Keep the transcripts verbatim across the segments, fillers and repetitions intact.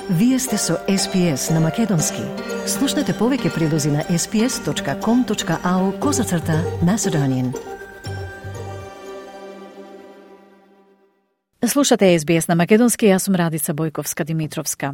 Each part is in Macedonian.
Вие сте со Ес Би Ес на Македонски. Слушнете повеќе прилози на ес би ес точка ком точка ау козацрта Macedonian. Слушате Ес Би Ес на Македонски, јас сум Радица Бојковска-Димитровска.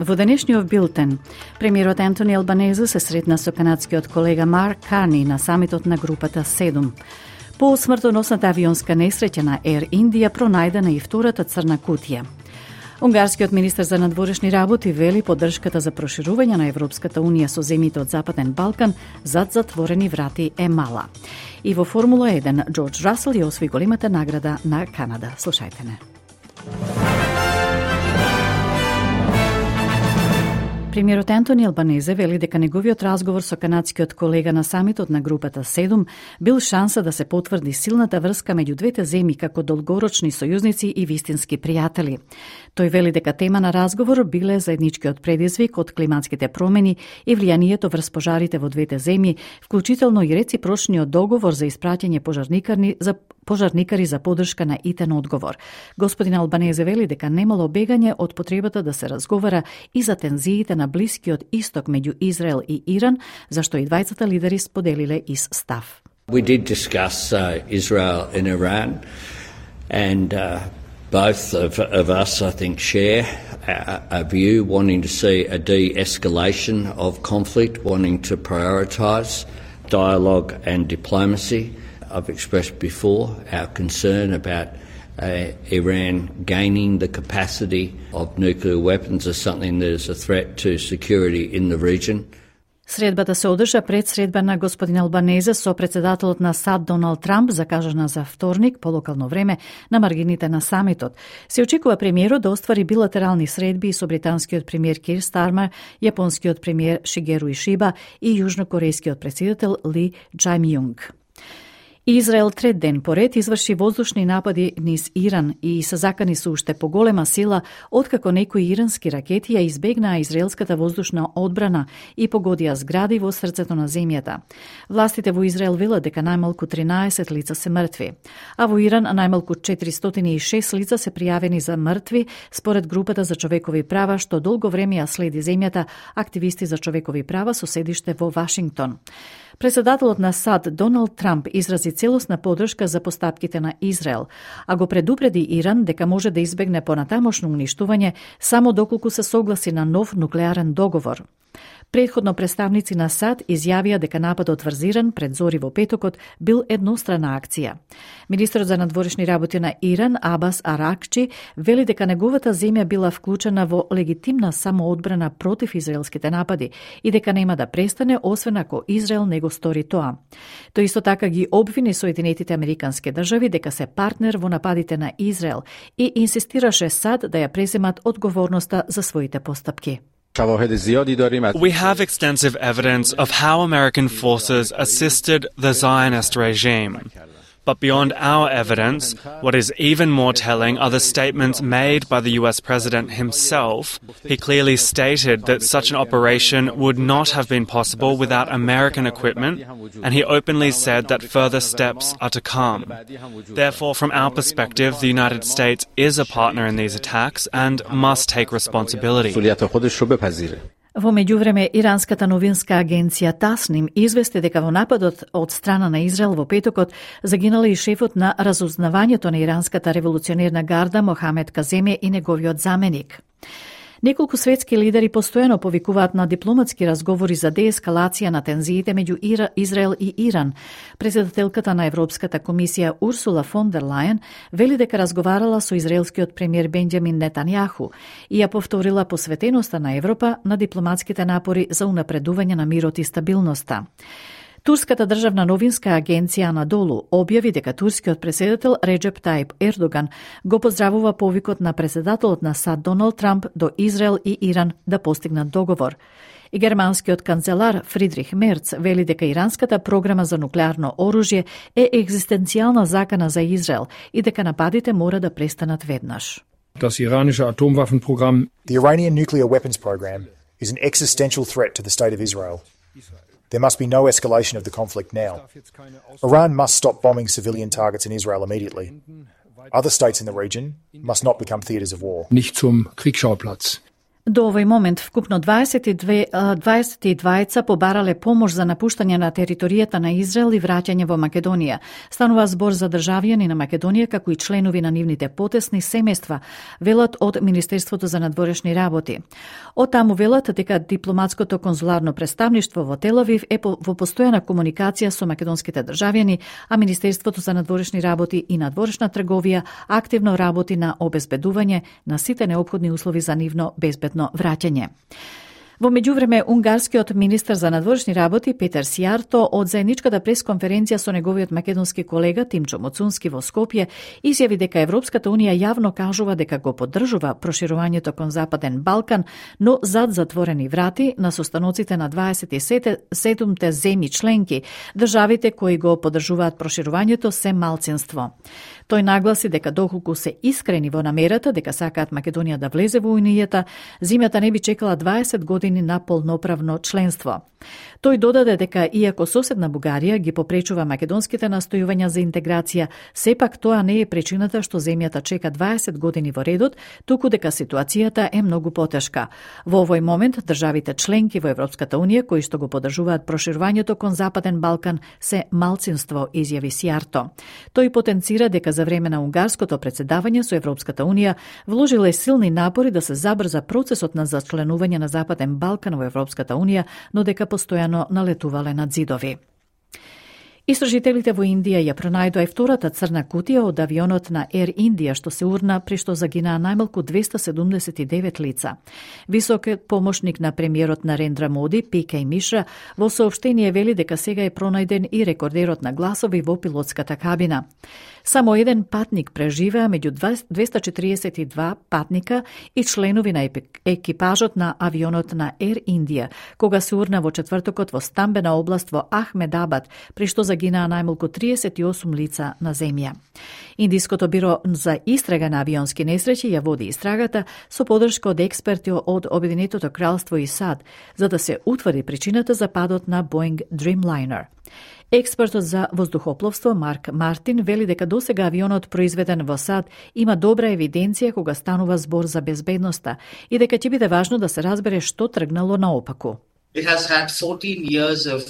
Во денешниот билтен, премиерот Ентони Албанезе се сретна со канадскиот колега Марк Карни на самитот на групата седум. По смртоносната авионска несреќа на Ер Индија пронајдена и втората црна кутија. Унгарскиот министер за надворешни работи вели поддршката за проширување на Европската унија со земјите од Западен Балкан зад затворени врати е мала. И во Формула еден, Джордж Расел ја освои големата награда на Канада. Слушајте не. Премиерот Ентони Албанезе вели дека неговиот разговор со канадскиот колега на самитот на групата седум бил шанса да се потврди силната врска меѓу двете земји како долгорочни сојузници и вистински пријатели. Тој вели дека тема на разговор биле заедничкиот предизвик од климатските промени и влијанието врз пожарите во двете земји, вклучително и реципрочниот договор за испраќање пожарникари за пожарникари за поддршка на итен одговор. Господин Албанезе вели дека немало бегање од потребата да се разговара и за тензиите на Блискиот Исток меѓу Израел и Иран, зашто и двајцата лидери споделиле ист став. We did discuss uh, Israel and Iran, and uh, both of, of us, I think, share a, a view wanting to see a de-escalation of conflict, wanting to prioritise dialogue and diplomacy. I've expressed before our concern about uh, Iran gaining the capacity of nuclear weapons as something that is a threat to security in the region. Средбата се одржа пред средба на господин Албанезе со председателот на САД Доналд Трамп, закажана за вторник по локално време на маргините на самитот. Се очекува премиерот да оствари билатерални средби со британскиот премиер Кир Стармер, јапонскиот премиер Шигеру Ишиба и јужнокорејскиот претседател Ли Џајмјунг. Израел трет ден поред изврши воздушни напади низ Иран и се закани со уште поголема сила откако некои ирански ракети ја избегнаа израелската воздушна одбрана и погодија згради во срцето на земјата. Властите во Израел велат дека најмалку тринаесет лица се мртви, а во Иран најмалку четиристотини и шест лица се пријавени за мртви според групата за човекови права што долго време ја следи земјата, активисти за човекови права со седиште во Вашингтон. Председателот на САД Доналд Трамп изрази целосна поддршка за постапките на Израел, а го предупреди Иран дека може да избегне понатамошно уништување само доколку се согласи на нов нуклеарен договор. Претходно представници на САД изјавија дека нападот врз Иран пред зори во петокот бил еднострана акција. Министерот за надворешни работи на Иран Абас Аракчи вели дека неговата земја била вклучена во легитимна самоодбрана против израелските напади и дека нема да престане освен ако Израел не го стори тоа. Тој исто така ги обвини Соединетите Американски држави дека се партнер во нападите на Израел и инсистираше САД да ја преземат одговорноста за своите постапки. We have extensive evidence of how American forces assisted the Zionist regime. But beyond our evidence, what is even more telling are the statements made by the U S president himself. He clearly stated that such an operation would not have been possible without American equipment, and he openly said that further steps are to come. Therefore, from our perspective, the United States is a partner in these attacks and must take responsibility. Во меѓувреме, иранската новинска агенција Тасним извести дека во нападот од страна на Израел во петокот загинале и шефот на разузнавањето на иранската револуционерна гарда Мохамед Каземе и неговиот заменик. Неколку светски лидери постојано повикуваат на дипломатски разговори за деескалација на тензиите меѓу Израел и Иран. Председателката на Европската комисија Урсула фон дер Лајен вели дека разговарала со израелскиот премиер Бенџамин Нетањаху и ја повторила посветеноста на Европа на дипломатските напори за унапредување на мирот и стабилноста. Турската државна новинска агенција Анадолу објави дека турскиот претседател Реџеп Тајип Ердоган го поздравува повикот на претседателот на САД Доналд Трамп до Израел и Иран да постигнат договор. И германскиот канцелар Фридрих Мерц вели дека иранската програма за нуклеарно оружје е екзистенцијална закана за Израел и дека нападите мора да престанат веднаш. Das iranische Atomwaffenprogramm. The Iranian nuclear weapons program is an existential threat to the state of Israel. There must be no escalation of the conflict now. Iran must stop bombing civilian targets in Israel immediately. Other states in the region must not become theatres of war. Nicht zum Kriegsschauplatz. До овој момент вкупно дваесет и две, дваесет и дваица побарале помош за напуштање на територијата на Израел и враќање во Македонија. Станува збор за државјани на Македонија, како и членови на нивните потесни семејства, велат од Министерството за надворешни работи. Од таму велат дека дипломатското конзуларно представништво во Тел Авив е во постојана комуникација со македонските државјани, а Министерството за надворешни работи и надворешна трговија активно работи на обезбедување на сите неопходни услови за нивно безбедно враќање. Во меѓувреме, унгарскиот министер за надворешни работи Петер Сијарто од заедничката пресконференција со неговиот македонски колега Тимчо Моцунски во Скопје изјави дека Европската унија јавно кажува дека го поддржува проширувањето кон Западен Балкан, но зад затворени врати на состаноците на дваесет и седумте земји членки, државите кои го поддржуваат проширувањето се малцинство. Тој нагласи дека доколку се искрени во намерата дека сакаат Македонија да влезе во Унијата, земјата не би чекала дваесет години на полноправно членство. Тој додаде дека иако соседна Бугарија ги попречува македонските настојувања за интеграција, сепак тоа не е причината што земјата чека дваесет години во редот, туку дека ситуацијата е многу потешка. Во овој момент државите членки во Европската унија кои што го поддржуваат проширувањето кон Западен Балкан се малцинство, изјави Сијарто. Тој потенцира дека за време на унгарското претседавање со Европската унија вложиле силни напори да се забрза процесот на зачленување на Западен Балкан во Европската унија, но дека постојано налетувале над зидови. Истражителите во Индија ја пронајдоа и втората црна кутија од авионот на Air India што се урна при што загинаа најмалку двеста седумдесет и девет лица. Високиот помошник на премиерот Нарендра Моди, Пи Кеј Мишра, во соопштение вели дека сега е пронајден и рекордерот на гласови во пилотската кабина. Само еден патник преживеа меѓу двеста четиридесет и два патника и членови на екипажот на авионот на Air India, кога се урна во четвртокот во стамбена област во Ахмедабад, при што загинаа најмалку триесет и осум лица на земја. Индиското биро за истрага на авионски несреќи ја води истрагата со поддршка од експерти од Обединетото кралство и САД, за да се утврди причината за падот на Boeing Dreamliner. Експертот за воздухопловство Марк Мартин вели дека досега авионот произведен во САД има добра евиденција кога станува збор за безбедноста и дека ќе биде важно да се разбере што тргнало наопаку. It has had fourteen years of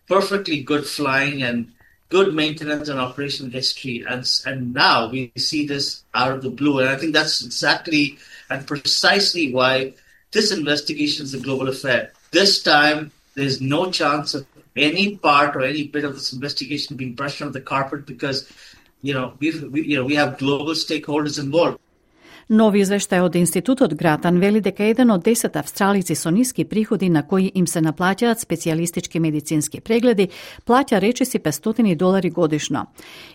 perfectly good flying and good maintenance and operation history, and and now we see this out of the blue, and I think that's exactly and precisely why this investigation is a global affair. This time, there's no chance of any part or any bit of this investigation being brushed under the carpet because, you know, we've, we, you know, we have global stakeholders involved. Нови извештај од Институтот Гратан вели дека еден од десет австралици со ниски приходи на кои им се наплаќаат специјалистички медицински прегледи, плаќа речиси петстотини долари годишно.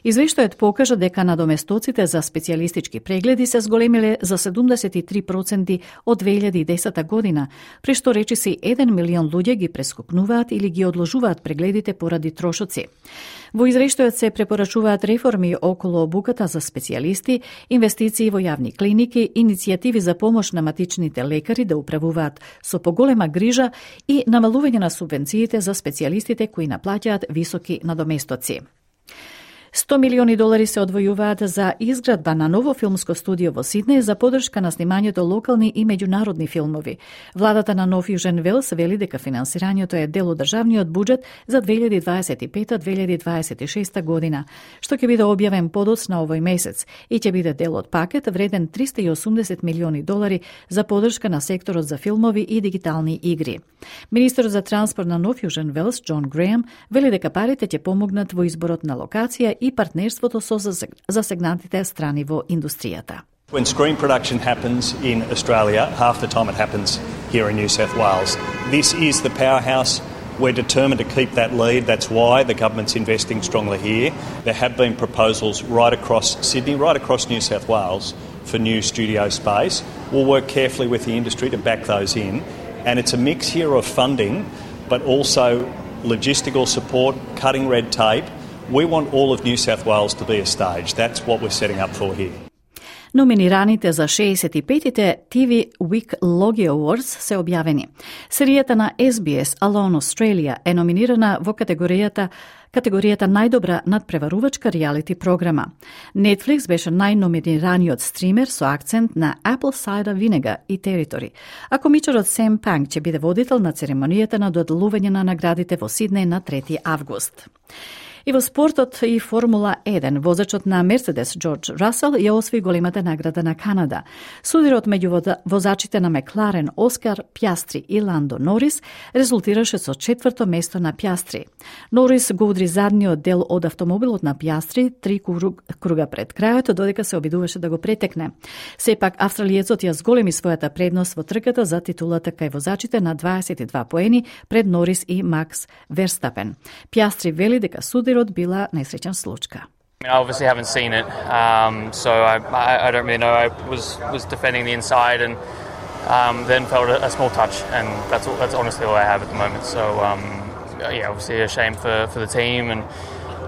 Извештајот покажа дека надоместоците за специјалистички прегледи се зголемиле за седумдесет и три проценти од две илјади и десета година, при што речиси еден милион луѓе ги прескокнуваат или ги одложуваат прегледите поради трошоци. Во извештајот се препорачуваат реформи околу обуката за специјалисти, инвестиции во јавни клиники, иницијативи за помош на матичните лекари да управуваат со поголема грижа и намалување на субвенциите за специјалистите кои наплаќаат високи надоместоци. сто милиони долари се одвојуваат за изградба на ново филмско студио во Сиднеј за поддршка на снимањето локални и меѓународни филмови. Владата на Нов Јужен Велс вели дека финансирањето е дел од државниот буџет за две илјади дваесет и пета - две илјади дваесет и шеста година, што ќе биде објавен подоцна овој месец и ќе биде дел од пакет вреден триста и осумдесет милиони долари за поддршка на секторот за филмови и дигитални игри. Министерот за транспорт на Нов Јужен Велс, Џон Греем, вели дека парите ќе помогнат во изборот на локација и партнерството со засегнатите страни во индустријата. When screen production happens in Australia, half the time it happens here in New South Wales. This is the powerhouse. We're determined to keep that lead. That's why the government's investing strongly here. There have been proposals right across Sydney, right across New South Wales for new studio space. We'll work carefully with the industry to back those in. And it's a mix here of funding, but also logistical support, cutting red tape. We want all of New South Wales to be a stage. That's what we're setting up for here. Номинираните за шеесет и петите Ти Ви Week Logie Awards се објавени. Серијата на Ес Би Ес Alone Australia е номинирана во категоријата категоријата најдобра надпреварувачка реалити програма. Netflix беше најноминираниот стример со акцент на Apple Cider Vinegar и Territory, а комичарот Сем Панк ќе биде водител на церемонијата на доделување на наградите во Сиднеј на трети август. И во спортот и Формула еден, возачот на Мерцедес Џорџ Расел ја освои големата награда на Канада. Судирот меѓу возачите на Мекларен Оскар Пјастри и Ландо Норис резултираше со четврто место на Пјастри. Норис го удри задниот дел од автомобилот на Пјастри три круга пред крајот, додека се обидуваше да го претекне. Сепак австралиецот ја зголеми својата предност во трката за титулата кај возачите на дваесет и два поени пред Норис и Макс Верстапен. Пјастри вели дека судирот била несреќен случка. I obviously haven't seen it, um, so I, I, I don't really know. I was was defending the inside and um, then felt a, a small touch, and that's all, that's honestly all I have at the moment. So um, yeah, obviously a shame for, for the team, and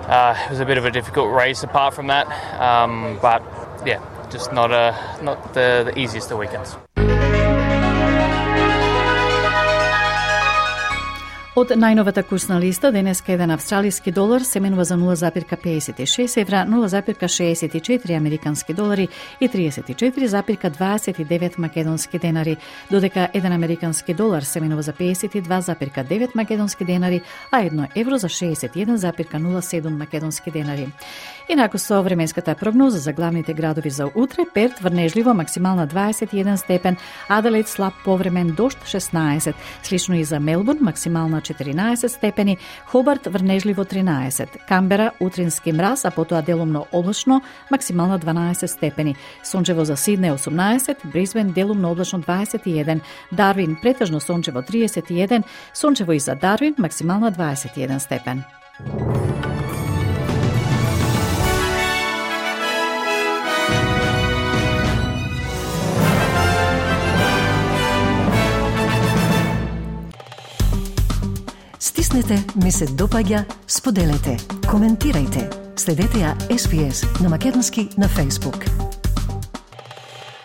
uh, it was a bit of a difficult race apart from that. Um, but yeah, just not a not the, the easiest of weekends. Од најновата курсна листа, денеска еден австралиски долар се менува за нула запир педесет и шест евра, нула запир шеесет и четири американски долари и триесет и четири запир дваесет и девет македонски денари, додека еден американски долар се менува за педесет и два запир девет македонски денари, а едно евро за шеесет и еден запир нула седум македонски денари. Инаку со временската прогноза за главните градови за утре: Перт врнежливо максимална дваесет и еден степен, Аделаид слаб повремен дожд шеснаесет, слично и за Мелбурн максимална четиринаесет степени, Хобарт врнежливо тринаесет, Камбера утрински мраз, а потоа делумно облачно максимална дванаесет степени, сончево за Сиднеј осумнаесет, Брисбен делумно облачно дваесет и еден, Дарвин претежно сончево триесет и еден, сончево и за Дарвин максимална дваесет и еден степен. Стиснете, ми се допаѓа, споделете, коментирајте. Следете ја Ес Би Ес на македонски на Facebook.